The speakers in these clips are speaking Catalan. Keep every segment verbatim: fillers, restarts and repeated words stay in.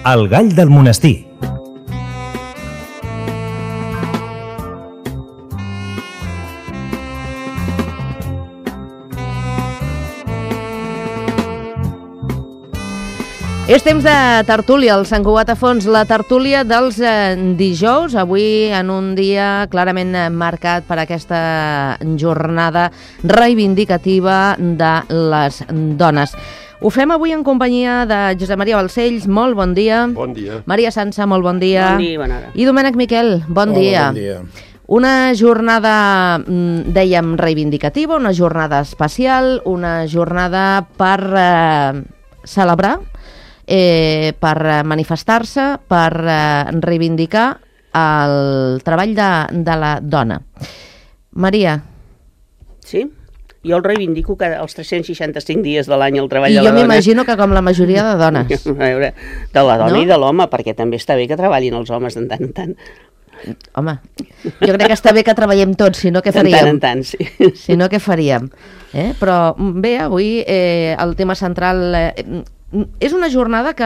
El gall del monestir. És temps de tertúlia, el Sant Cugat a fons, la tertúlia dels eh, dijous, avui en un dia clarament marcat per aquesta jornada reivindicativa de les dones. Ho fem avui en companyia de Josep Maria Balcells, molt bon dia. Bon dia. Maria Sança, molt bon dia. Bon dia, bona hora. I Domènec Miquel, bon Hola, dia. bon dia. Una jornada, dèiem, reivindicativa, una jornada especial, una jornada per eh, celebrar, Eh, per manifestar-se, per eh, reivindicar el treball de, de la dona. Maria. Sí? Jo el reivindico cada, els tres-cents seixanta-cinc dies de l'any el treball I de la jo dona. m'imagino que com la majoria de dones. A veure, de la dona No? i de l'home, perquè també està bé que treballin els homes de tant en tant. Home, jo crec que està bé que treballem tots, si no què De faríem? tant en tant, sí. Si no què faríem? Eh? Però bé, avui eh, el tema central... Eh, és una jornada que,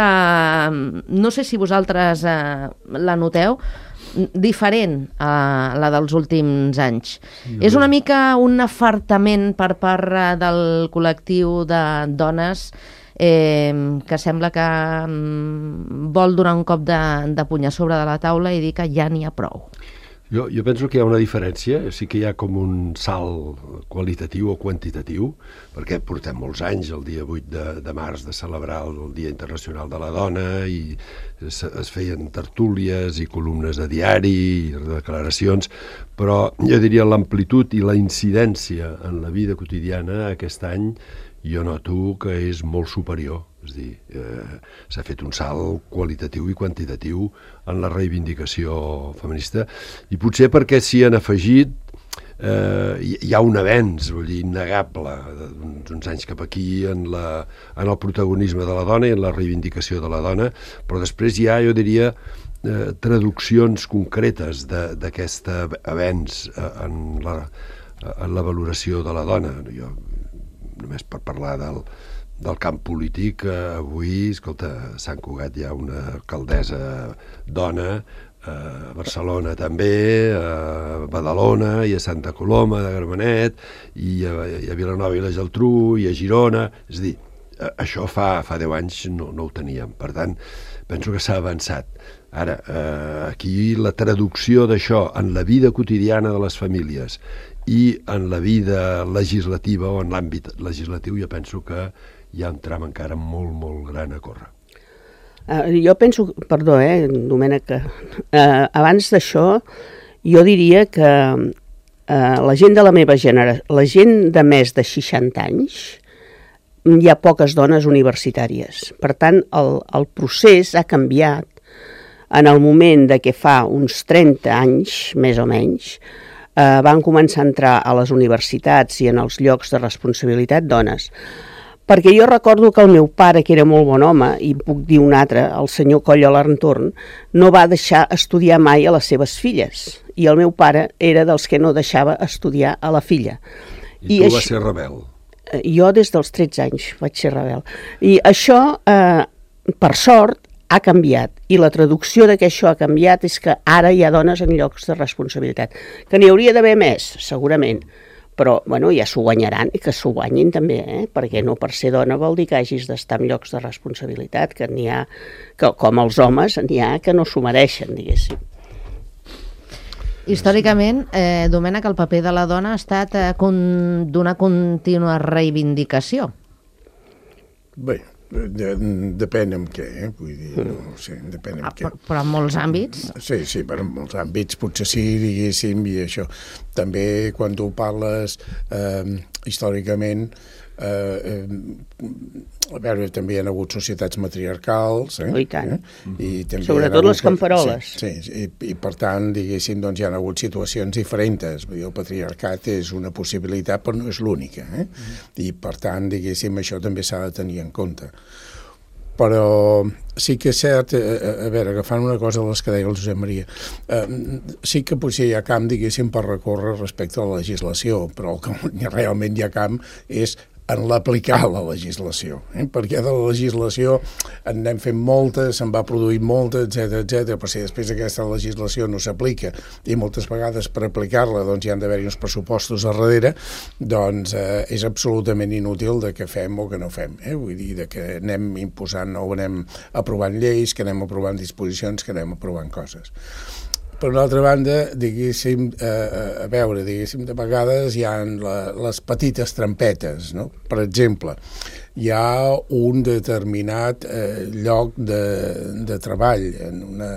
no sé si vosaltres eh, la noteu, diferent a la dels últims anys. Sí, és una mica un afartament per part eh, del col·lectiu de dones eh, que sembla que mm, vol donar un cop de, de puny a sobre de la taula i dir que ja n'hi ha prou. Jo, jo penso que hi ha una diferència, sí que hi ha com un salt qualitatiu o quantitatiu, perquè portem molts anys, el dia vuit de, de març, de celebrar el Dia Internacional de la Dona, i es, es feien tertúlies i columnes de diari i declaracions, però jo diria l'amplitud i la incidència en la vida quotidiana aquest any jo noto que és molt superior. És a dir, eh, s'ha fet un salt qualitatiu i quantitatiu en la reivindicació feminista, i potser perquè s'hi han afegit, eh, hi ha un avenç, vull dir, innegable, d'uns uns anys cap aquí en, la, en el protagonisme de la dona i en la reivindicació de la dona, però després hi ha, jo diria, eh, traduccions concretes d'aquest avenç eh, en, la, en la valoració de la dona. Jo, només per parlar del del camp polític, eh, avui, escolta, a Sant Cugat hi ha una alcaldessa dona, eh, a Barcelona també, a Badalona i a Santa Coloma de Gramenet, i a, i a Vilanova i la Geltrú, i a Girona. És a dir, això fa, fa deu anys no, no ho teníem. Per tant, penso que s'ha avançat. Ara, eh, aquí la traducció d'això en la vida quotidiana de les famílies i en la vida legislativa o en l'àmbit legislatiu, jo penso que hi ha un tram encara molt, molt gran a córrer. Uh, jo penso, perdó, eh, Domènec, que uh, abans d'això jo diria que uh, la gent de la meva generació, la gent de més de seixanta anys, hi ha poques dones universitàries. Per tant, el, el procés ha canviat en el moment de que fa uns trenta anys, més o menys, eh, van començar a entrar a les universitats i en els llocs de responsabilitat dones. Perquè jo recordo que el meu pare, que era molt bon home, i puc dir un altre, el senyor Coll Alarntorn, no va deixar estudiar mai a les seves filles. I el meu pare era dels que no deixava estudiar a la filla. I, I tu això, vas ser rebel? Jo des dels tretze anys vaig ser rebel. I això, eh, per sort, ha canviat. I la traducció de que això ha canviat és que ara hi ha dones en llocs de responsabilitat. Que n'hi hauria d'haver més, segurament. Però, bueno, ja s'ho guanyaran i que s'ho guanyin també, eh? Perquè no per ser dona vol dir que hagis d'estar en llocs de responsabilitat, que n'hi ha, que, com els homes, n'hi ha que no s'ho mereixen, diguéssim. Històricament, eh, Domènec, el paper de la dona ha estat eh, con, d'una contínua reivindicació. Bé, de, depèn en què, eh? Vull dir, no sé, depèn en ah, què. Però, però en molts àmbits? Sí, sí, però en molts àmbits potser sí, diguéssim, i això. També quan tu parles eh, històricament, eh, eh, a veure, també hi ha hagut societats matriarcals, eh? Oh, i tant. Eh? I també sobretot hagut, les camperoles. Sí, sí, i, i per tant, diguéssim, doncs hi ha hagut situacions diferents. Vull dir, el patriarcat és una possibilitat, però no és l'única, eh? Mm. I per tant, diguéssim, això també s'ha de tenir en compte. Però sí que és cert, a, a veure, agafant una cosa de les que deia el Josep Maria, eh, sí que potser hi ha camp, diguéssim, per recórrer respecte a la legislació, però el que realment hi ha camp és en l'aplicar la legislació, eh? perquè de la legislació en anem fent molta, se'n va produir molta, etcètera, etcètera, però si després aquesta legislació no s'aplica i moltes vegades per aplicar-la doncs hi han d'haver-hi uns pressupostos a darrere, doncs eh, és absolutament inútil de que fem o que no fem, eh? Vull dir, de que anem imposant o anem aprovant lleis, que anem aprovant disposicions, que anem aprovant coses. Per una altra banda, diguéssim, eh, a veure, diguéssim, de vegades hi ha la, les petites trampetes, no? Per exemple, hi ha un determinat eh, lloc de, de treball, en una,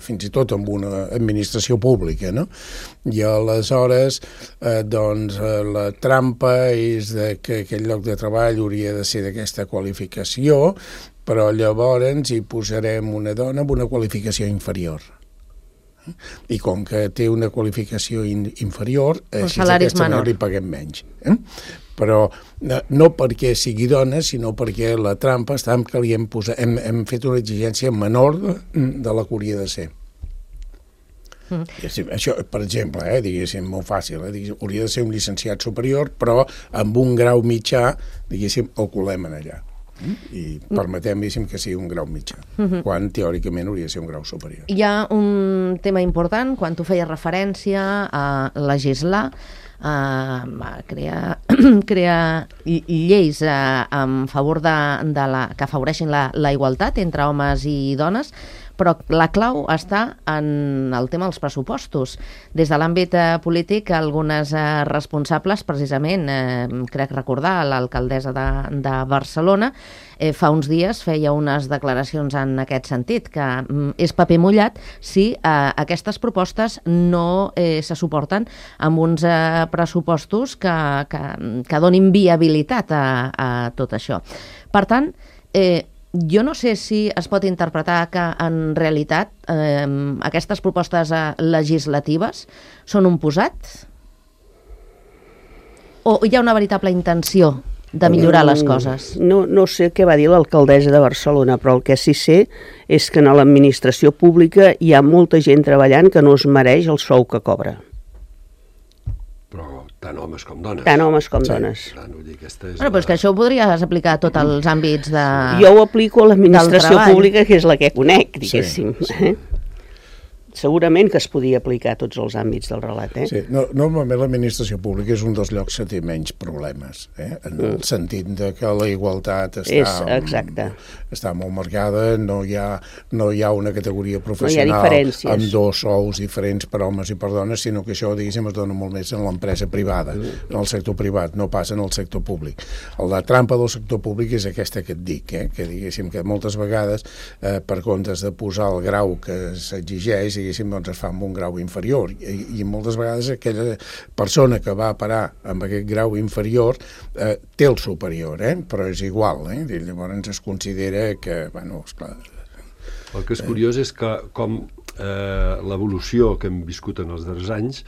fins i tot en una administració pública, no? I aleshores, eh, doncs, eh, la trampa és de que aquell lloc de treball hauria de ser d'aquesta qualificació, però llavors hi posarem una dona amb una qualificació inferior. I com que té una qualificació in, inferior, així d'aquesta manera li paguem menys. Eh? Però no, no perquè sigui dona, sinó perquè la trampa està en que li hem, posat, hem, hem fet una exigència menor de, de la que hauria de ser. Mm. Això, per exemple, eh, diguéssim, molt fàcil, eh, diguéssim, hauria de ser un llicenciat superior, però amb un grau mitjà, diguéssim, el colem en allà. I permetem, diguéssim, que sigui un grau mitjà, uh-huh. quan teòricament hauria de ser un grau superior. Hi ha un tema important, quan tu feies referència a legislar, a crear, crear lleis en favor de, de la, que afavoreixin la, la igualtat entre homes i dones, però la clau està en el tema dels pressupostos. Des de l'àmbit eh, polític, algunes eh, responsables, precisament, eh, crec recordar, l'alcaldessa de, de Barcelona, eh, fa uns dies feia unes declaracions en aquest sentit, que mm, és paper mullat si eh, aquestes propostes no eh, se suporten amb uns eh, pressupostos que, que, que donin viabilitat a, a tot això. Per tant, eh, jo no sé si es pot interpretar que en realitat eh, aquestes propostes eh, legislatives són un posat o hi ha una veritable intenció de millorar les coses? No, no sé què va dir l'alcaldessa de Barcelona, però el que sí sé és que en l'administració pública hi ha molta gent treballant que no es mereix el sou que cobra. Però tant homes com dones. Tant homes com sí. dones. Tant, vull dir, aquesta és bueno, però és que això ho podries aplicar a tots els àmbits de... Jo ho aplico a l'administració pública, que és la que conec, diguéssim. Sí, sí. Eh? Segurament que es podia aplicar a tots els àmbits del relat. Eh? Sí, no, normalment l'administració pública és un dels llocs que té menys problemes, eh? en el mm. sentit de que la igualtat està, és, exacte. està molt marcada, no hi, ha, no hi ha una categoria professional no amb dos sous diferents per homes i per dones, sinó que això, diguéssim, es dona molt més en l'empresa privada, mm. en el sector privat, no passa en el sector públic. La trampa del sector públic és aquesta que et dic, eh? que diguéssim que moltes vegades, eh, per comptes de posar el grau que s'exigeix, doncs es fa amb un grau inferior i, i moltes vegades aquella persona que va a parar amb aquest grau inferior eh, té el superior, eh? però és igual, eh? I llavors es considera que, bueno, esclar... El que és curiós és que com eh, l'evolució que hem viscut en els darrers anys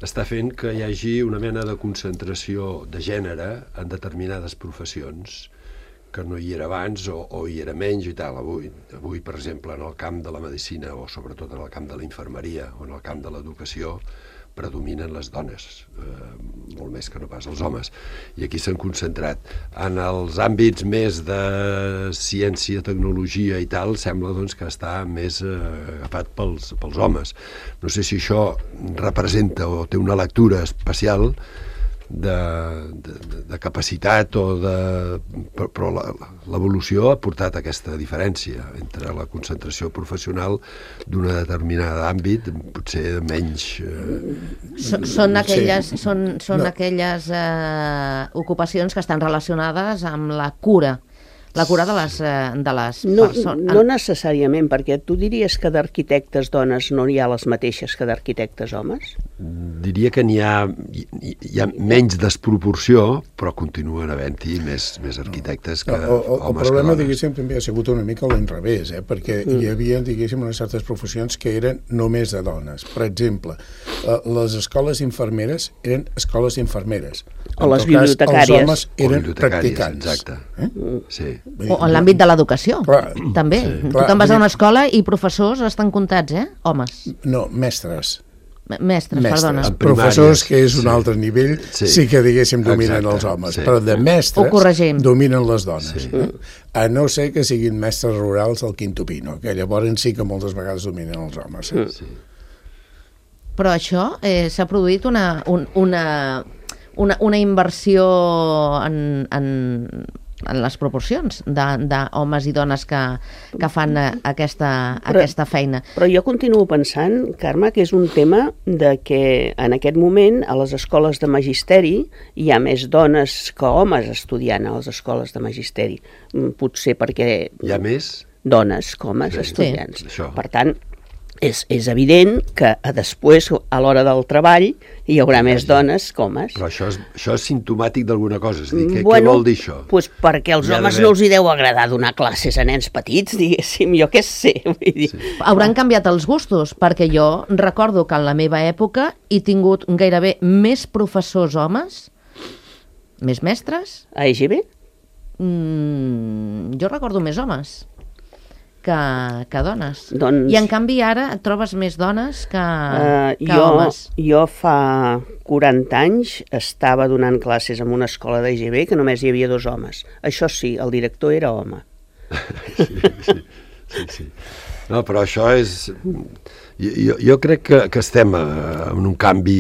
està fent que hi hagi una mena de concentració de gènere en determinades professions que no hi era abans o, o hi era menys i tal. Avui, avui, per exemple, en el camp de la medicina o sobretot en el camp de la infermeria o en el camp de l'educació predominen les dones, eh, molt més que no pas els homes. I aquí s'han concentrat. En els àmbits més de ciència, tecnologia i tal, sembla doncs, que està més eh, agafat pels, pels homes. No sé si això representa o té una lectura especial de, de, de capacitat o de... però l'evolució ha portat aquesta diferència entre la concentració professional d'una determinada àmbit, potser menys... Eh... Són, són aquelles, sí. són, són no. aquelles eh, ocupacions que estan relacionades amb la cura, la cura de les, de les no, persones. No necessàriament, perquè tu diries que d'arquitectes dones no hi ha les mateixes que d'arquitectes homes? Diria que n'hi ha, hi ha menys desproporció, però continuen havent-hi més, més arquitectes que no, o, homes. El problema, que diguéssim, també ha sigut una mica l'enrevés, eh? perquè mm. hi havia, diguéssim, unes certes professions que eren només de dones. Per exemple, les escoles infermeres eren escoles infermeres. O les bibliotecàries. Els homes eren practicants. Exacte. Eh? Sí. O en l'àmbit de l'educació, també. Sí, tu te'n vas a una escola i professors estan comptats, eh? Homes. No, mestres. Mestres, perdona. Professors, que és un sí. altre nivell, sí, sí que, diguéssim, dominen Exacte. els homes. Sí. Però de mestres dominen les dones. Sí. Eh? A no ser que siguin mestres rurals al Quinto Pino, que llavors sí que moltes vegades dominen els homes. Eh? Sí. Però això eh, s'ha produït una, un, una, una, una inversió en, en, en les proporcions d'homes i dones que, que fan aquesta, però, aquesta feina. Però jo continuo pensant, Carme, que és un tema de que en aquest moment a les escoles de magisteri hi ha més dones que homes estudiant a les escoles de magisteri. Potser perquè... Hi ha més? Dones que homes sí, estudiants. Sí, per tant, és, és evident que a després, a l'hora del treball, hi haurà sí, més dones que homes. Però això és, això és simptomàtic d'alguna cosa. És a dir, què, bueno, què vol dir això? Pues perquè als homes no els hi deu agradar donar classes a nens petits, diguéssim, jo què sé. Vull dir. Sí. Hauran canviat els gustos, perquè jo recordo que en la meva època he tingut gairebé més professors homes, més mestres. A E G B? Mm, jo recordo més homes que, que dones. Doncs... I en canvi ara et trobes més dones que, uh, que jo, homes. Jo fa quaranta anys estava donant classes en una escola d'E G B que només hi havia dos homes. Això sí, el director era home. Sí, sí, sí, sí. No, però això és... Jo, jo crec que, que estem en un canvi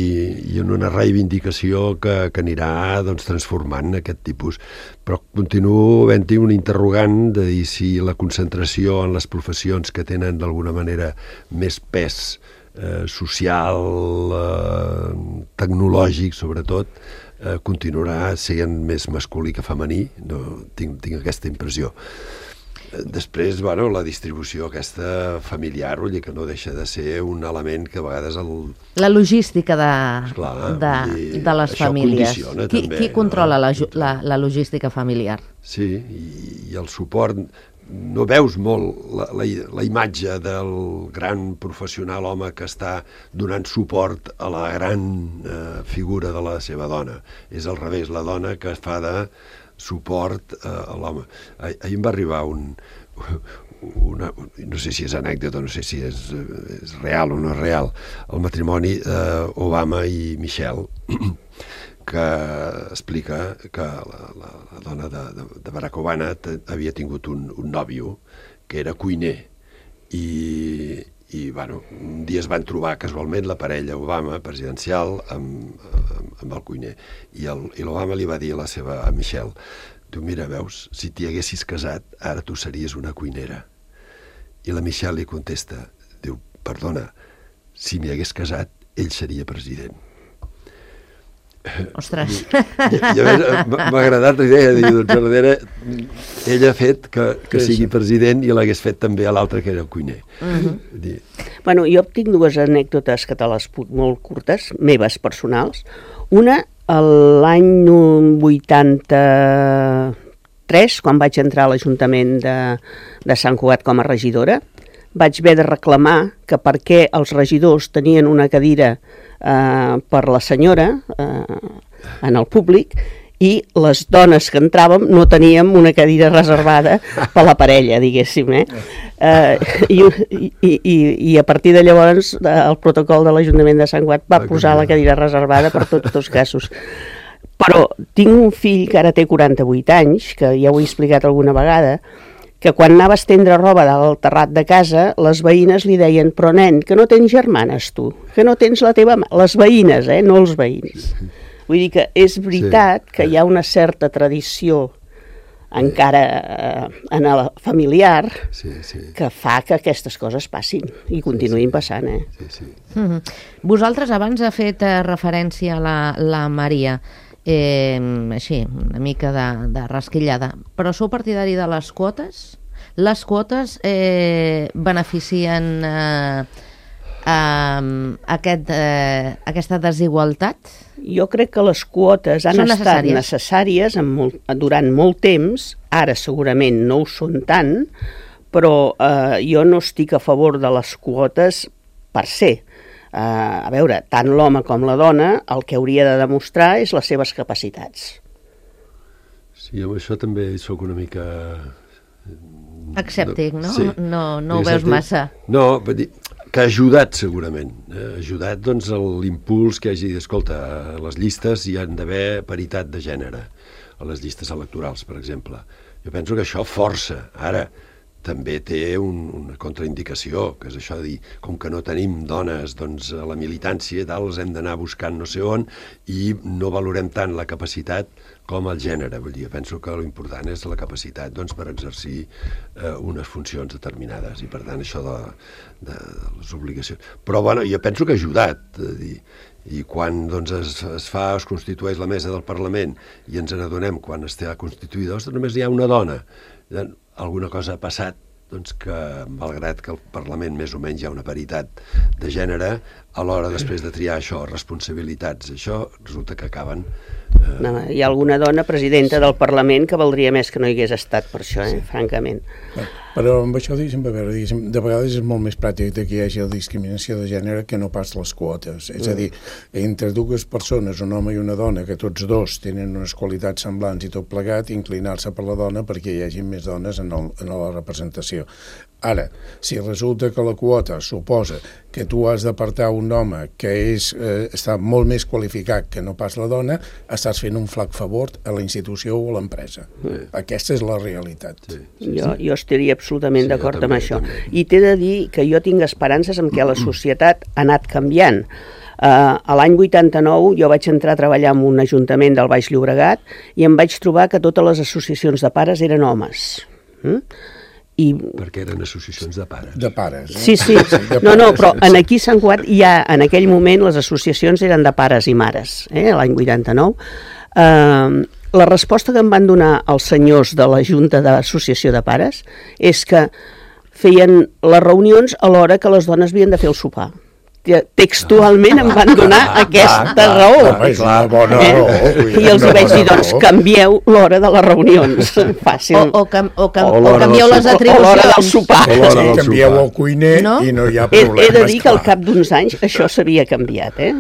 i en una reivindicació que, que anirà doncs, transformant aquest tipus. Però continuo havent-hi un interrogant de dir si la concentració en les professions que tenen d'alguna manera més pes eh, social, eh, tecnològic sobretot, eh, continuarà sent més masculí que femení. No, tinc, tinc aquesta impressió. Després, bueno, la distribució aquesta familiar, vull dir que no deixa de ser un element que a vegades... El... La logística de, Esclar, de, dir, de les famílies. Qui, també, qui controla no? la, la, la logística familiar? Sí, i, i el suport... No veus molt la, la, la imatge del gran professional home que està donant suport a la gran eh, figura de la seva dona. És al revés, la dona que fa de suport eh, a l'home. Ah, ahir em va arribar un, una, no sé si és anècdota, no sé si és, és real o no és real, el matrimoni d'Obama eh, i Michelle, que explica que la, la, la dona de, de, de Barack Obama havia tingut un, un nòvio que era cuiner i, i bueno, un dia es van trobar casualment la parella Obama presidencial amb, amb, amb el cuiner i l'Obama li va dir a la seva a Michelle, diu, mira, veus, si t'hi haguessis casat ara tu series una cuinera. I la Michelle li contesta, diu, perdona, si m'hi hagués casat ell seria president. Ostres. M'ha agradat la idea de dir, doncs, darrere, ell ha fet que, que sigui president i l'hagués fet també a l'altre que era el cuiner. Uh-huh. dir... Bueno, jo tinc dues anècdotes que te les puc molt curtes, meves personals. Una, l'any vuitanta-tres, quan vaig entrar a l'Ajuntament de, de Sant Cugat com a regidora, vaig haver de reclamar que perquè els regidors tenien una cadira eh, per la senyora eh, en el públic i les dones que entràvem no teníem una cadira reservada per la parella, diguéssim. Eh? Eh, i, i, i, I a partir de llavors el protocol de l'Ajuntament de Sant Cugat va posar la cadira reservada per tots els casos. Però tinc un fill que ara té quaranta-vuit anys, que ja ho he explicat alguna vegada, que quan anava a estendre roba del terrat de casa, les veïnes li deien, però nen, que no tens germanes tu, que no tens la teva... Les veïnes, eh, no els veïns. Vull dir que és veritat sí. que hi ha una certa tradició encara eh, en el familiar sí, sí. que fa que aquestes coses passin i continuïn passant. Eh? Sí, sí. Mm-hmm. Vosaltres abans ha fet eh, referència a la, la Maria, eh, així, una mica de, de rasquillada, però sou partidari de les quotes? Les quotes eh, beneficien eh, eh, aquest, eh, aquesta desigualtat? Jo crec que les quotes han són estat necessàries, necessàries en molt, durant molt temps, ara segurament no ho són tant, però eh, jo no estic a favor de les quotes per ser. Uh, a veure, tant l'home com la dona el que hauria de demostrar és les seves capacitats. Sí, amb això també sóc una mica... Escèptic, no? Sí. No, no ho veus massa. No, vull dir, que ha ajudat segurament, eh? ha ajudat doncs, l'impuls que hagi dit, escolta, a les llistes hi han d'haver paritat de gènere, a les llistes electorals, per exemple. Jo penso que això força. Ara, també té un, una contraindicació, que és això de dir, com que no tenim dones doncs, a la militància i tal, els hem d'anar buscant no sé on i no valorem tant la capacitat com el gènere. Vull dir, penso que l'important és la capacitat doncs, per exercir eh, unes funcions determinades i per tant això de, de, de les obligacions. Però bueno, jo penso que ha ajudat, a dir, i quan doncs, es, es fa, es constitueix la mesa del Parlament i ens n'adonem quan està constituïda, ostres, només hi ha una dona. Alguna cosa ha passat doncs, que, malgrat que al Parlament més o menys hi ha una paritat de gènere, a l'hora després de triar això, responsabilitats, això resulta que acaben... Eh... No, hi ha alguna dona presidenta del Parlament que valdria més que no hi hagués estat per això, eh? Sí. Francament. Però amb això, diguéssim, a veure, diguéssim, de vegades és molt més pràctic que hi hagi la discriminació de gènere que no pas les quotes. És mm. a dir, entre dues persones, un home i una dona, que tots dos tenen unes qualitats semblants i tot plegat, inclinar-se per la dona perquè hi hagi més dones en, el, en la representació. Ara, si resulta que la quota suposa que tu has d'apartar un home que és, eh, està molt més qualificat que no pas la dona, estàs fent un flac favor a la institució o a l'empresa. Sí. Aquesta és la realitat. Sí, sí, jo, sí. jo estaria absolutament sí, d'acord amb això. També. I t'he de dir que jo tinc esperances en què la societat ha anat canviant. Uh, a l'any vuitanta-nou jo vaig entrar a treballar en un ajuntament del Baix Llobregat i em vaig trobar que totes les associacions de pares eren homes. Mm? I... Perquè eren associacions de pares. De pares. Eh? Sí, sí. No, no, però en aquí a Sant Cugat ja en aquell moment les associacions eren de pares i mares, eh, l'any vuitanta-nou. Uh, la resposta que em van donar els senyors de la Junta d'Associació de Pares és que feien les reunions a l'hora que les dones havien de fer el sopar. Textualment em van donar aquesta clar, raó. Clar, és una bona raó. Eh? I els vaig dir, doncs, canvieu l'hora de les reunions. Fàcil. O, o, cam, o, cam, o, o canvieu les atribucions. O l'hora del sopar. Sí, canvieu el cuiner no? I no hi ha problemes. He, he de dir que al cap d'uns anys això s'havia canviat, eh?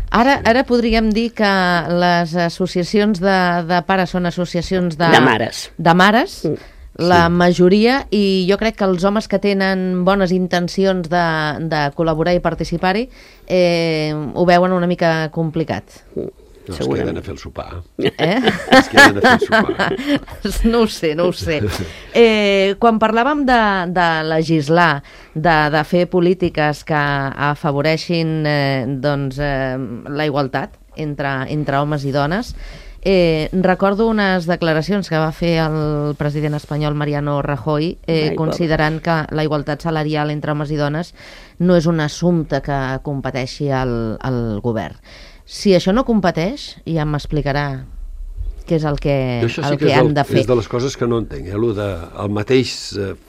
Ara, ara podríem dir que les associacions de, de pares són associacions de... De mares. De mares. Mm. La sí. majoria, i jo crec que els homes que tenen bones intencions de, de col·laborar i participar-hi eh, ho veuen una mica complicat. No, es queden a fer el sopar. Eh? Es queden a fer el sopar. No ho sé, no ho sé. Eh, quan parlàvem de, de legislar, de, de fer polítiques que afavoreixin eh, doncs, eh, la igualtat entre, entre homes i dones, Eh, recordo unes declaracions que va fer el president espanyol Mariano Rajoy eh, Ai, considerant que la igualtat salarial entre homes i dones no és un assumpte que competeixi al, al govern. Si això no competeix, ja m'explicarà què és el que, el sí que, que han el, de fer. És de les coses que no entenc, eh? Lo de el mateix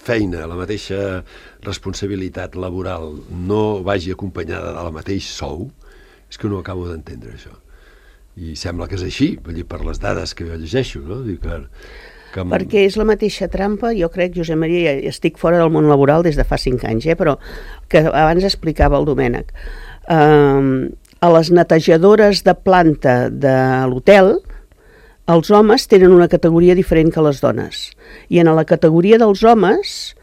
feina, la mateixa responsabilitat laboral no vagi acompanyada de la mateix sou, és que no acabo d'entendre això. I sembla que és així, vull dir, per les dades que jo llegeixo, no? Dic que, que... Perquè és la mateixa trampa, jo crec, Josep Maria, estic fora del món laboral des de fa cinc anys, eh? Però que abans explicava el Domènec. Uh, a les netejadores de planta de l'hotel, els homes tenen una categoria diferent que les dones. I en la categoria dels homes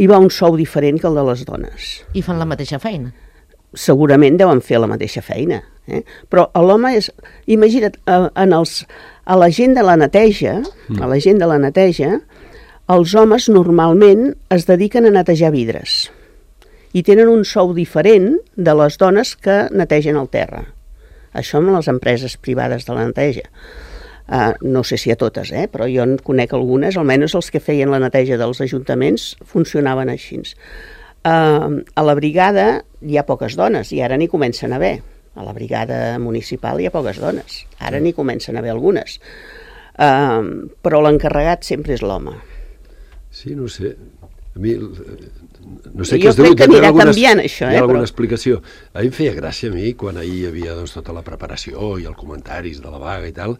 hi va un sou diferent que el de les dones. I fan la mateixa feina. Segurament deuen fer la mateixa feina. Eh? Però l'home és... Imagina't, en els, a la gent de la neteja, mm. a la gent de la neteja, els homes normalment es dediquen a netejar vidres i tenen un sou diferent de les dones que netegen el terra. Això amb les empreses privades de la neteja. Uh, no sé si a totes, eh? Però jo en conec algunes, almenys els que feien la neteja dels ajuntaments funcionaven així. Uh, a la brigada hi ha poques dones i ara n'hi comencen a haver. A la brigada municipal hi ha poques dones. Ara n'hi comencen a haver algunes. Uh, però l'encarregat sempre és l'home. Sí, no sé. A mi... No sé jo crec que anirà algunes, canviant això. Hi ha eh, alguna però... explicació. A mi em feia gràcia a mi, quan ahir hi havia doncs, tota la preparació i els comentaris de la vaga i tal,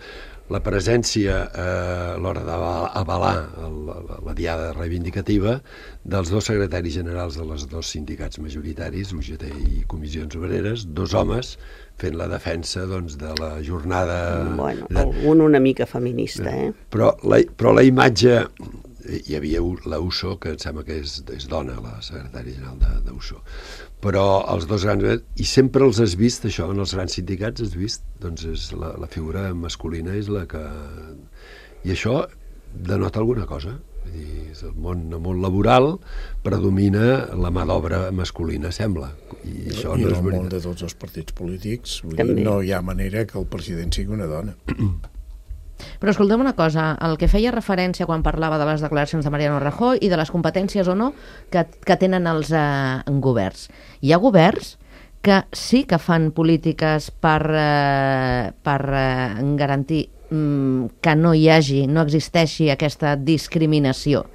la presència eh, a l'hora d'avalar la, la diada reivindicativa dels dos secretaris generals de les dos sindicats majoritaris, U G T i Comissions Obreres, dos homes fent la defensa doncs, de la jornada... Bueno, de... algun una mica feminista, eh? Però la, però la imatge hi havia la U S O, que em sembla que és, és dona, la secretària general de, de U S O. Però els dos grans... I sempre els has vist, això, en els grans sindicats has vist, doncs és la, la figura masculina és la que... I això denota alguna cosa. Vull dir, el món, el món laboral predomina la mà d'obra masculina, sembla. I això I no el és món veritat. de tots els partits polítics, vull dir, no hi ha manera que el president sigui una dona. Però escolta'm una cosa, el que feia referència quan parlava de les declaracions de Mariano Rajoy i de les competències o no que, que tenen els eh, governs. Hi ha governs que sí que fan polítiques per, eh, per eh, garantir mm, que no hi hagi, no existeixi aquesta discriminació.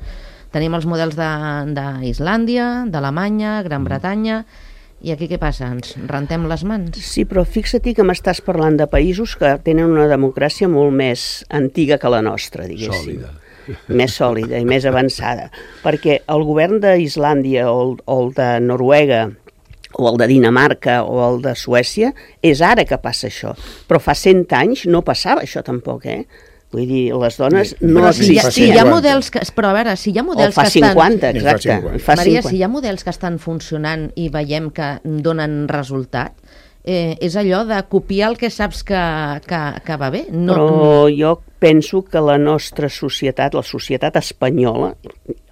Tenim els models d'Islàndia, d'Alemanya, Gran Bretanya... I aquí què passa? Ens rentem les mans? Sí, però fixa't que m'estàs parlant de països que tenen una democràcia molt més antiga que la nostra, diguéssim. Sòlida. Més sòlida i més avançada. Perquè el govern d'Islàndia o, el, o el de Noruega o el de Dinamarca o el de Suècia és ara que passa això. Però fa cent anys no passava això tampoc, eh? Vull dir, les dones no però si hi, ha, si hi ha cinquanta. models que, però a veure, si hi ha models o fa que estan... cinquanta, Ni fa exacte. cinquanta. Fa Maria, cinquanta. si hi ha models que estan funcionant i veiem que donen resultat, eh, és allò de copiar el que saps que, que, que va bé. No, Però jo penso que la nostra societat, la societat espanyola,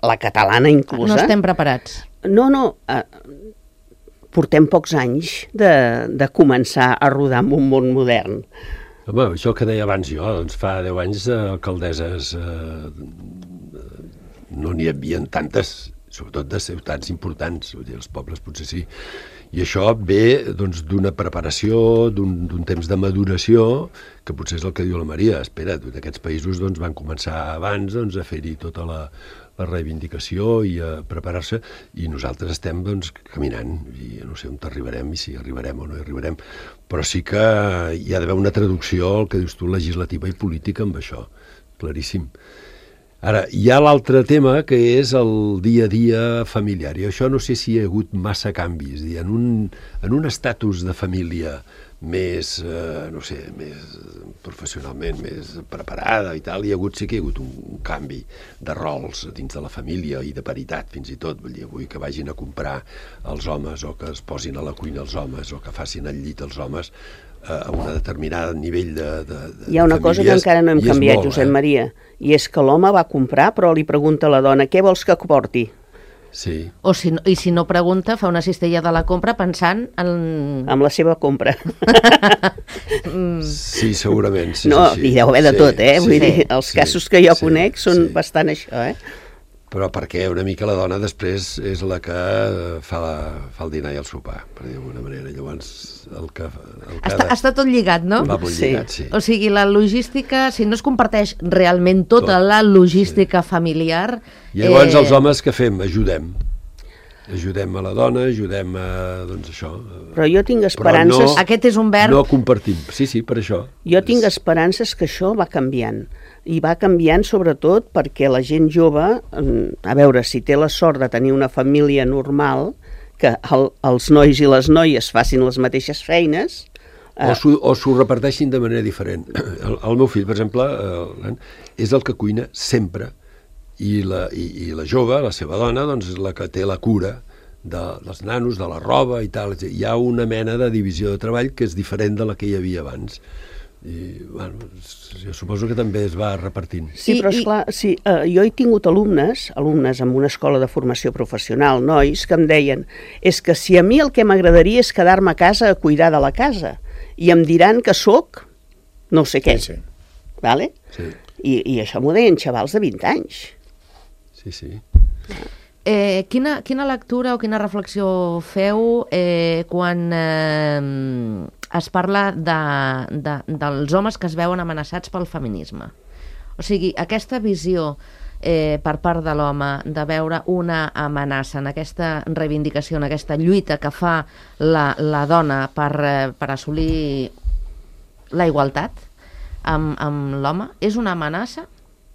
la catalana inclús... no estem preparats. No, no, eh, portem pocs anys de, de començar a rodar en un món modern. Home, això que deia abans jo, doncs fa deu anys eh, alcaldesses eh, no n'hi havia tantes, sobretot de ciutats importants, vull dir, els pobles potser sí. I això ve doncs, d'una preparació, d'un temps de maduració, que potser és el que diu la Maria. Espera, aquests països doncs, van començar abans doncs, a fer-hi tota la, la reivindicació i a preparar-se, i nosaltres estem doncs, caminant, i no sé on arribarem i si arribarem o no arribarem, però sí que hi ha d'haver una traducció, el que dius tu, legislativa i política amb això, claríssim. Ara, hi ha l'altre tema que és el dia a dia familiar, i això no sé si hi ha hagut massa canvis. En un, en un estatus de família més, eh, no sé, més professionalment més preparada i tal, hi ha hagut, sí que hi ha hagut un, un canvi de rols dins de la família i de paritat, fins i tot. Vull dir, avui que vagin a comprar els homes o que es posin a la cuina els homes o que facin el llit els homes a un determinat nivell de, de, de Hi ha una cosa que encara no hem canviat, Josep eh? Maria, i és que l'home va comprar, però li pregunta a la dona, què vols que porti? Sí. O si no, I si no pregunta, fa una cistella de la compra pensant en... Amb la seva compra. Sí, segurament. Sí, No, sí, sí. hi deu haver de Sí, tot, eh? sí, Vull dir, sí, els sí, casos que jo sí, conec són sí. bastant això, eh? Però perquè una mica la dona després és la que fa, la, fa el dinar i el sopar, per dir d'alguna manera. Llavors, el que... El que Està, ha de- està tot lligat, no? Va molt Sí. lligat, sí. O sigui, la logística, si no es comparteix realment tota Tot, la logística familiar... I llavors eh, els homes què fem? Ajudem. Ajudem a la dona, ajudem a... doncs això. Però jo tinc esperances... no- Aquest és un verb... No compartim. Sí, sí, per això. Jo tinc esperances que això va canviant. I va canviant sobretot perquè la gent jove, a veure, si té la sort de tenir una família normal, que el, els nois i les noies facin les mateixes feines... O s'ho o s'ho reparteixin de manera diferent. El, el meu fill, per exemple, el, és el que cuina sempre, i la, i, i la jove, la seva dona, doncs és la que té la cura de, dels nanos, de la roba i tal. Hi ha una mena de divisió de treball que és diferent de la que hi havia abans. I, bueno, jo suposo que també es va repartint. Sí, I- però i- esclar, sí, eh, jo he tingut alumnes, alumnes en una escola de formació professional, nois, que em deien, és que si a mi el que m'agradaria és quedar-me a casa a cuidar de la casa, i em diran que sóc no sé què, Sí, sí. vale? Sí, I, i això m'ho deien xavals de vint anys. sí, sí. Eh, quina, quina lectura o quina reflexió feu eh, quan eh, es parla de, de, dels homes que es veuen amenaçats pel feminisme? O sigui, aquesta visió eh, per part de l'home de veure una amenaça en aquesta reivindicació, en aquesta lluita que fa la, la dona per, eh, per assolir la igualtat amb, amb l'home, és una amenaça?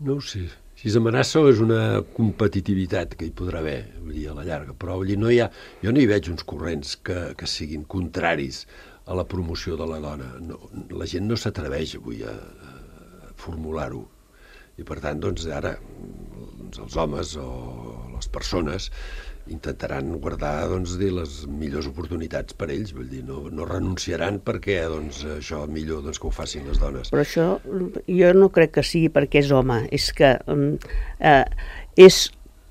No ho sé. Si és amenaça o és una competitivitat que hi podrà haver, vull dir, a la llarga. Però vull dir, no hi ha, jo no hi veig uns corrents que, que siguin contraris a la promoció de la dona. No, la gent no s'atreveix avui a, a formular-ho. I per tant, doncs, ara doncs, els homes o les persones intentaran guardar, doncs, dir, les millors oportunitats per ells, vull dir, no, no renunciaran perquè, doncs, això millor doncs, que ho facin les dones. Però això jo no crec que sigui perquè és home, és que eh, és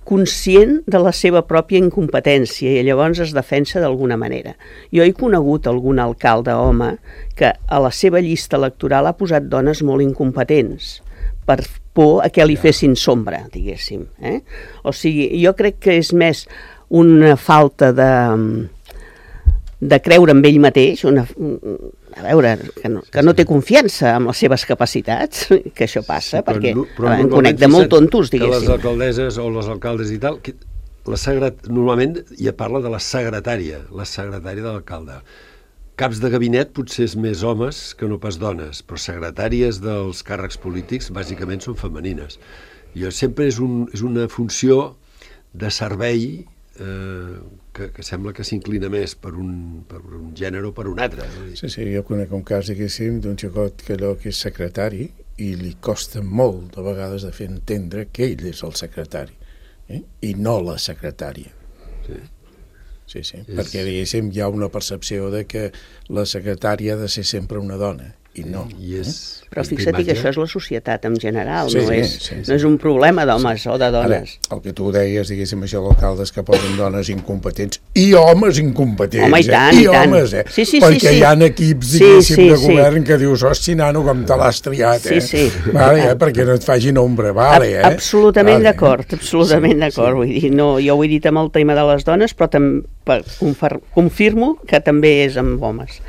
conscient de la seva pròpia incompetència i llavors es defensa d'alguna manera. Jo he conegut algun alcalde home que a la seva llista electoral ha posat dones molt incompetents per por a que li fessin sombra, diguéssim. Eh? O sigui, jo crec que és més una falta de, de creure en ell mateix, una, a veure, que no, que no té confiança en les seves capacitats, que això passa, sí, perquè no, en conec de molt tontos, diguéssim. Que les alcaldesses o les alcaldes i tal, que la secret, normalment ja parla de la secretària, la secretària de l'alcalde. Caps de gabinet potser és més homes que no pas dones, però secretàries dels càrrecs polítics bàsicament són femenines. I sempre és, un, és una funció de servei eh, que, que sembla que s'inclina més per un, per un gènere o per un altre. Sí, sí, jo conec un cas, diguéssim, d'un xicot que allò que és secretari i li costa molt de vegades de fer entendre que ell és el secretari, eh? I no la secretària. Sí. Sí, sí, és... perquè, diguéssim, hi ha una percepció de que la secretària ha de ser sempre una dona, i no. I és... Eh? Però fixa't que això és la societat en general, sí, no, sí, és, sí, sí. no és un problema d'homes sí. o de dones. Ara, el que tu deies, diguéssim, això d'alcaldes que posen dones incompetents i homes incompetents. Home, i tant, eh? I, i tant. homes, eh? Sí, sí, perquè sí, sí. hi ha equips, sí, diguéssim, sí, de sí. govern que dius, hosti, nano, com te l'has triat, eh? Sí, sí. Vale, eh? Perquè no et facin ombra, vale, eh? Absolutament vale, d'acord, eh? absolutament sí, d'acord. Sí. Vull dir, no, jo ho he dit amb el tema de les dones, però tam, confirmo que també és amb homes.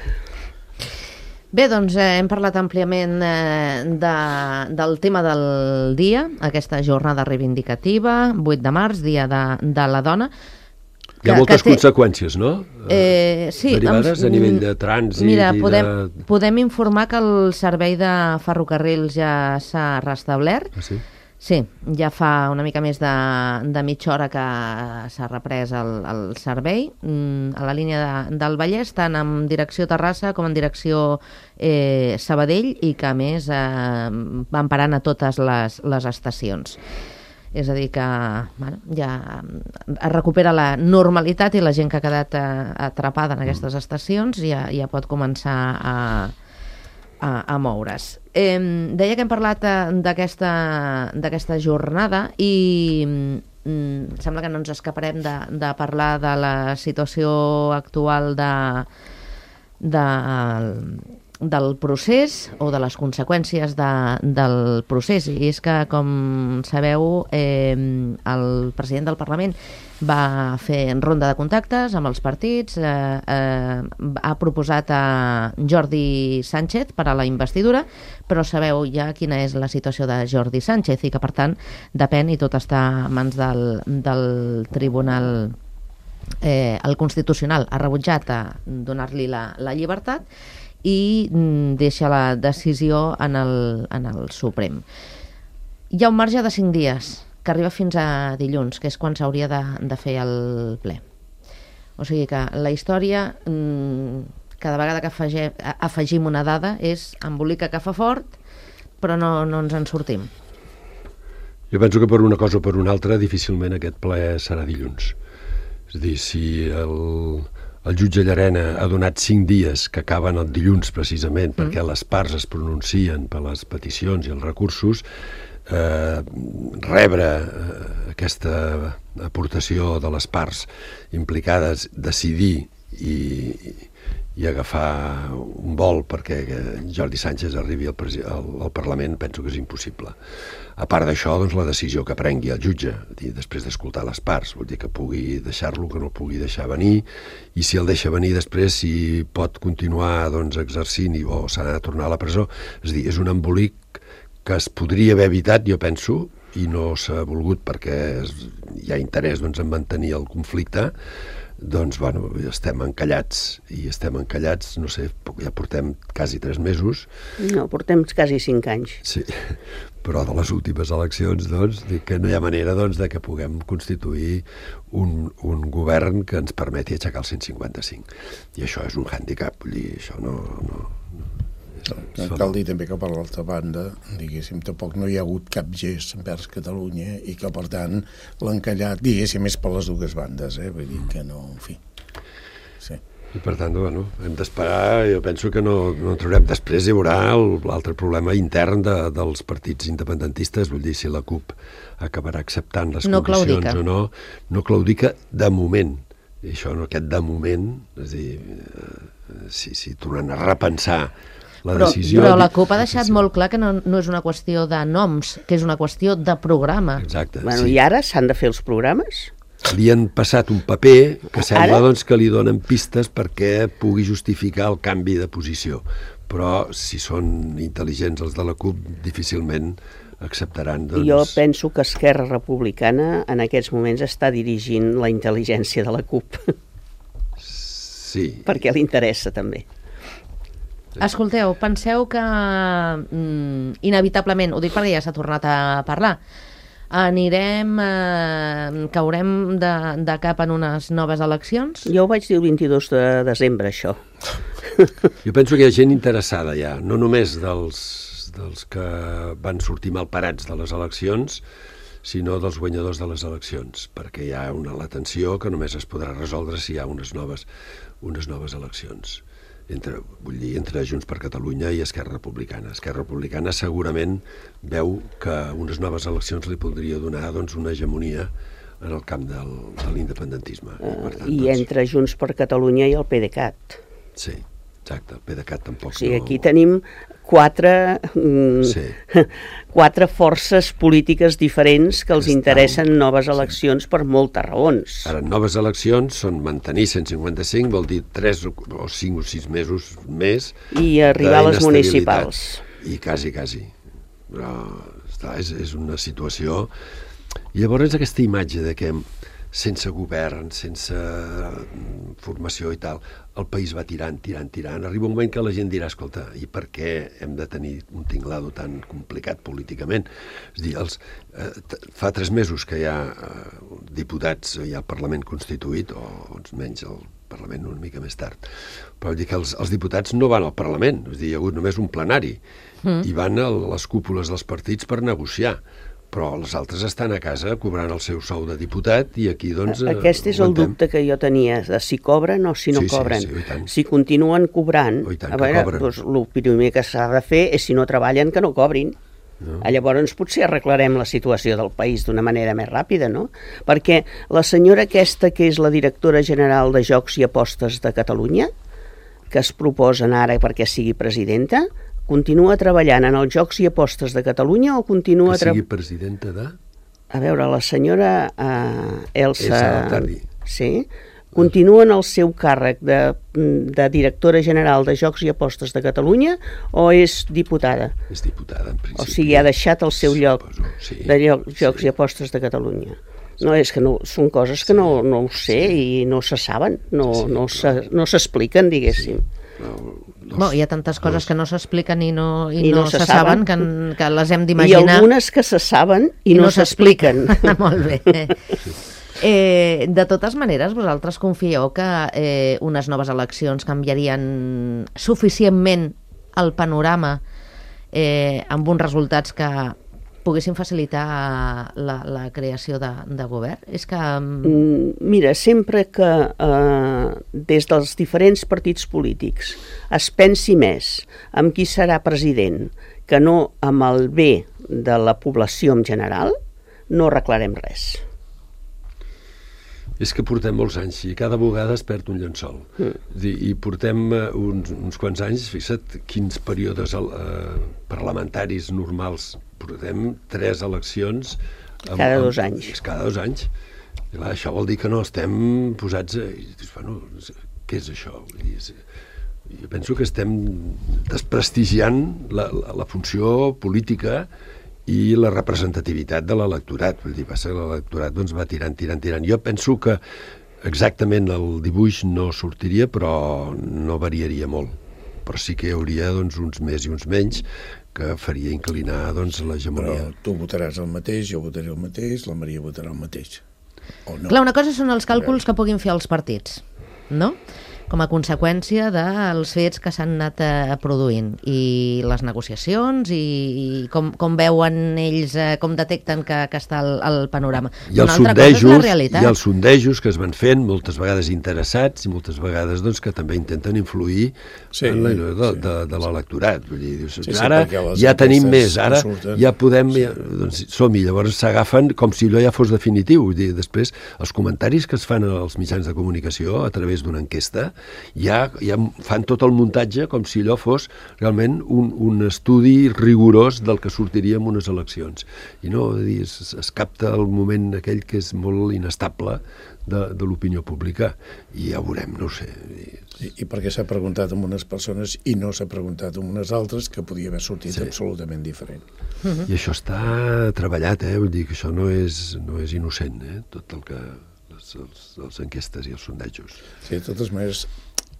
Bé, doncs eh, hem parlat àmpliament eh, de, del tema del dia, aquesta jornada reivindicativa, vuit de març, dia de, de la dona. Hi ha moltes té... conseqüències, no? Eh, sí, derivades amb, a nivell de trànsit. Mira, i podem, de... podem informar que el servei de ferrocarrils ja s'ha restablert. Ah, sí? Sí, ja fa una mica més de, de mitja hora que s'ha reprès el, el servei mm, a la línia de, del Vallès, tant en direcció Terrassa com en direcció eh, Sabadell, i que a més eh, van parant a totes les, les estacions. És a dir que bueno, ja es recupera la normalitat i la gent que ha quedat eh, atrapada en aquestes estacions ja, ja pot començar a... A, a moure's. Eh, deia que hem parlat d'aquesta d'aquesta jornada i mm, sembla que no ens escaparem de, de parlar de la situació actual de, de, del procés o de les conseqüències de, del procés. I és que, com sabeu, eh, el president del Parlament va fer ronda de contactes amb els partits, eh, eh, ha proposat a Jordi Sánchez per a la investidura, però sabeu ja quina és la situació de Jordi Sánchez i que, per tant, depèn i tot està a mans del, del Tribunal eh, el Constitucional. Ha rebutjat a donar-li la, la llibertat i deixa la decisió en el, en el Suprem. Hi ha un marge de cinc dies que arriba fins a dilluns, que és quan s'hauria de, de fer el ple. O sigui que la història, cada vegada que afegim, afegim una dada, és embolica que fa fort, però no, no ens en sortim. Jo penso que per una cosa o per una altra difícilment aquest ple serà dilluns. És a dir, si el, el jutge Llarena ha donat cinc dies que acaben el dilluns precisament mm. perquè les parts es pronuncien per les peticions i els recursos, Eh, rebre eh, aquesta aportació de les parts implicades, decidir i, i agafar un vol perquè Jordi Sánchez arribi al, al, al Parlament, penso que és impossible. A part d'això, doncs, la decisió que prengui el jutge, dir, després d'escoltar les parts, vol dir que pugui deixar-lo, que no pugui deixar venir, i si el deixa venir després, si pot continuar doncs, exercint i, o s'ha de tornar a la presó. És a dir, és un embolic que es podria haver evitat, jo penso, i no s'ha volgut perquè es, hi ha interès doncs, en mantenir el conflicte, doncs, bueno, estem encallats, i estem encallats, no sé, ja portem quasi tres mesos. No, portem quasi cinc anys. Sí, però de les últimes eleccions, doncs, dic que no hi ha manera, doncs, de que puguem constituir un, un govern que ens permeti aixecar el cent cinquanta-cinc. I això és un hàndicap, vull dir, això no... no Cal dir també que per l'altra banda, diguéssim, tampoc no hi ha hagut cap gest envers Catalunya i que, per tant, l'encallat, diguéssim, és per les dues bandes, eh? Vull dir que no, en fi. Sí. I per tant, bueno, hem d'esperar, jo penso que no, no en traurem. Després hi haurà l'altre problema intern de, dels partits independentistes, vull dir, si la CUP acabarà acceptant les no condicions claudica. o no, no claudica de moment. I això, no, aquest de moment, és a dir, eh, si, si tornen a repensar la però, decisió... Però la CUP ha deixat molt clar que no, no és una qüestió de noms, que és una qüestió de programa. Exacte, Bueno, sí. I ara s'han de fer els programes? Li han passat un paper que sembla Ara? doncs, que li donen pistes perquè pugui justificar el canvi de posició. Però si són intel·ligents els de la CUP, difícilment acceptaran... Doncs... Jo penso que Esquerra Republicana en aquests moments està dirigint la intel·ligència de la CUP, Sí. perquè li interessa també. Escolteu, penseu que mm, inevitablement, ho dic perquè ja s'ha tornat a parlar, anirem, eh, caurem de, de cap en unes noves eleccions? Jo ho vaig dir el vint-i-dos de desembre, això. Jo penso que hi ha gent interessada ja, no només dels, dels que van sortir malparats de les eleccions, sinó dels guanyadors de les eleccions, perquè hi ha una latenció que només es podrà resoldre si hi ha unes noves, unes noves eleccions. Entre, vull dir, entre Junts per Catalunya i Esquerra Republicana. Esquerra Republicana segurament veu que unes noves eleccions li podria donar doncs, una hegemonia en el camp del, de l'independentisme. I, per tant, I doncs, entre Junts per Catalunya i el PDeCAT. Sí, exacte, el PDeCAT tampoc O sigui, no... aquí tenim quatre, mm, Sí. quatre forces polítiques diferents que els Estan- interessen noves sí. eleccions per moltes raons. Ara, noves eleccions són mantenir cent cinquanta-cinc, vol dir tres o cinc o sis mesos més I arribar a les d'inestabilitat. municipals. I quasi, quasi. Però, esclar, és, és una situació... I llavors aquesta imatge de que sense govern, sense formació i tal, el país va tirant, tirant, tirant. Arriba un moment que la gent dirà, escolta, i per què hem de tenir un tinglado tan complicat políticament? És a dir, els, eh, fa tres mesos que hi ha eh, diputats, hi ha el Parlament constituït, o uns menys el Parlament una mica més tard, però vull dir que els, els diputats no van al Parlament, és a dir, hi ha hagut només un plenari, mm. i van a les cúpules dels partits per negociar. Però els altres estan a casa cobrant el seu sou de diputat i aquí, doncs... Aquest és el dubte que jo tenia, de si cobren o si no sí, cobren. Sí, sí, i tant. Si continuen cobrant, Oh, i tant a que veure, cobren. doncs, el primer que s'ha de fer és, si no treballen, que no cobrin. No. Llavors potser arreglarem la situació del país d'una manera més ràpida, no? Perquè la senyora aquesta, que és la directora general de Jocs i Apostes de Catalunya, que es proposen ara perquè sigui presidenta, continua treballant en els Jocs i Apostes de Catalunya o continua... Que sigui tre- presidenta de... A veure, la senyora uh, Elsa... Elsa Altardi. Sí, continua en el seu càrrec de, de directora general de Jocs i Apostes de Catalunya o és diputada? És diputada, en principi. O sigui, ha deixat el seu lloc Suposo, sí. de lloc, Jocs Sí. i Apostes de Catalunya. No, és que no, són coses que no, no ho sé i no se saben, no, Sí, sí, no, però- se, no s'expliquen, diguéssim. No, dos, Bueno, hi ha tantes coses dos. que no s'expliquen i no, i I no, no se, se saben, saben. que, que les hem I d'imaginar. algunes que se saben i, no, s'expliquen. Molt bé. Eh, de totes maneres, vosaltres confieu que eh, unes noves eleccions canviarien suficientment el panorama eh, amb uns resultats que poguessin facilitar la, la creació de, de govern? És que... Mm, Mira, sempre que eh, des dels diferents partits polítics es pensi més en qui serà president que no amb el bé de la població en general, no arreglarem res. És que portem molts anys i cada vegada es perd un llençol. Mm. I portem uh, uns, uns quants anys, fixa't quins períodes uh, parlamentaris normals. Portem tres eleccions... Amb, cada dos amb, anys. Cada dos anys. I clar, això vol dir que no estem posats... A, i dius, bueno, què és això? Vull dir, és, jo penso que estem desprestigiant la, la, la funció política i la representativitat de l'electorat. Vull dir, passa que l'electorat doncs, va tirant, tirant, tirant. Jo penso que exactament el dibuix no sortiria, però no variaria molt. Però sí que hi hauria doncs, uns més i uns menys que faria inclinar doncs, l'hegemonia. Però tu votaràs el mateix, jo votaré el mateix, la Maria votarà el mateix. O no. Clar, una cosa són els càlculs que puguin fer els partits, no? com a conseqüència dels fets que s'han anat eh, produint i les negociacions i, i com, com veuen ells, eh, com detecten que, que està el, el panorama. I els, sondejos, I els sondejos que es van fent, moltes vegades interessats i moltes vegades doncs, que també intenten influir sí, en la, de, sí. de, de l'electorat. Vull dir, dius, sí, sí, ara ja tenim més, ara ja podem, ja, doncs, som-hi, llavors s'agafen com si allò ja fos definitiu. Vull dir, després, els comentaris que es fan als mitjans de comunicació a través d'una enquesta ja, ja fan tot el muntatge com si allò fos realment un, un estudi rigorós del que sortiria en unes eleccions. I no, dir, es, es capta el moment aquell que és molt inestable de, de l'opinió pública i ja ho veurem, no ho sé. I, i perquè s'ha preguntat amb unes persones i no s'ha preguntat amb unes altres que podia haver sortit sí. absolutament diferent. Uh-huh. I això està treballat, eh? Vull dir que això no és, no és innocent, eh? Tot el que... les, els, les enquestes i els sondejos. Sí, de totes maneres,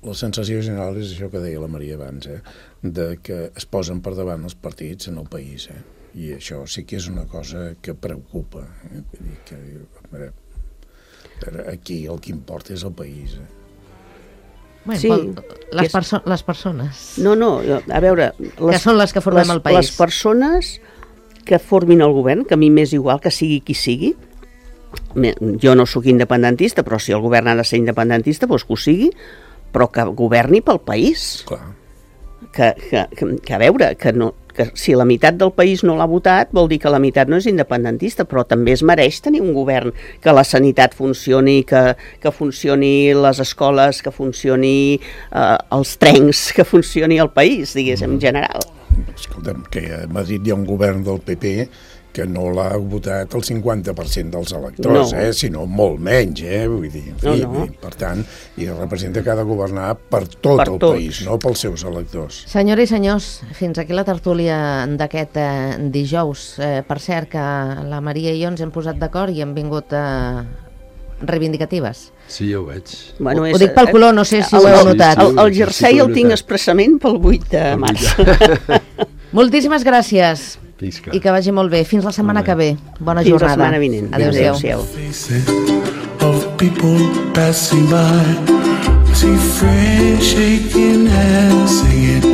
la sensació general és això que deia la Maria abans, eh? De que es posen per davant els partits en el país, eh? I això sí que és una cosa que preocupa. Eh? Vull dir que, veure, aquí el que importa és el país. Eh? Bueno, sí, les, perso les persones. No, no, a veure... Les, que són les que formem les, el país. Les persones que formin el govern, que a mi m'és igual que sigui qui sigui, jo no sóc independentista, però si el govern ha de ser independentista, doncs que ho sigui, però que governi pel país. Clar. Que, que, que, que a veure, que, no, que si la meitat del país no l'ha votat, vol dir que la meitat no és independentista, però també es mereix tenir un govern que la sanitat funcioni, que, que funcioni les escoles, que funcioni eh, els trens, que funcioni el país, diguéssim, en general. Escolta'm, que a Madrid hi ha un govern del P P que no l'ha votat el cinquanta per cent dels electors, no. eh? Sinó molt menys, eh? Vull dir, en fi, no, no. Per tant, i representa que ha de governar per tot per el tots. país, no pels seus electors. Senyores i senyors, fins aquí la tertúlia d'aquest eh, dijous. Eh, per cert, que la Maria i jo ens hem posat d'acord i hem vingut eh, reivindicatives. Sí, ja ho veig. Bueno, és, ho dic pel color, no sé si el, ho heu notat. El, el jersei el tinc expressament pel vuit de març. Moltíssimes gràcies. Pisca. I que vagi molt bé. Fins la setmana que ve. Bona Fins jornada. Fins la setmana vinent. Adéu-siau. Of people passing by, I see friends shaking hands, singing,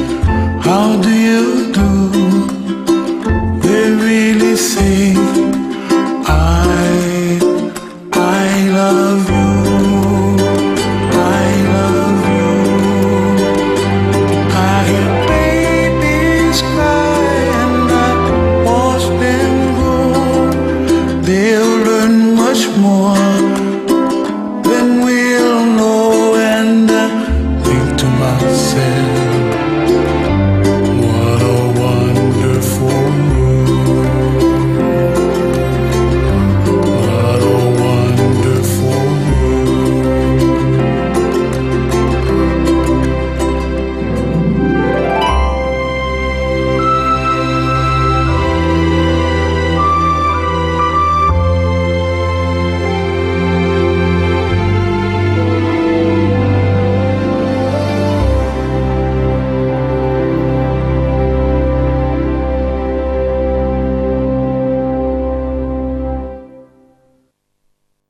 how do you do? They really say, I, I love you. More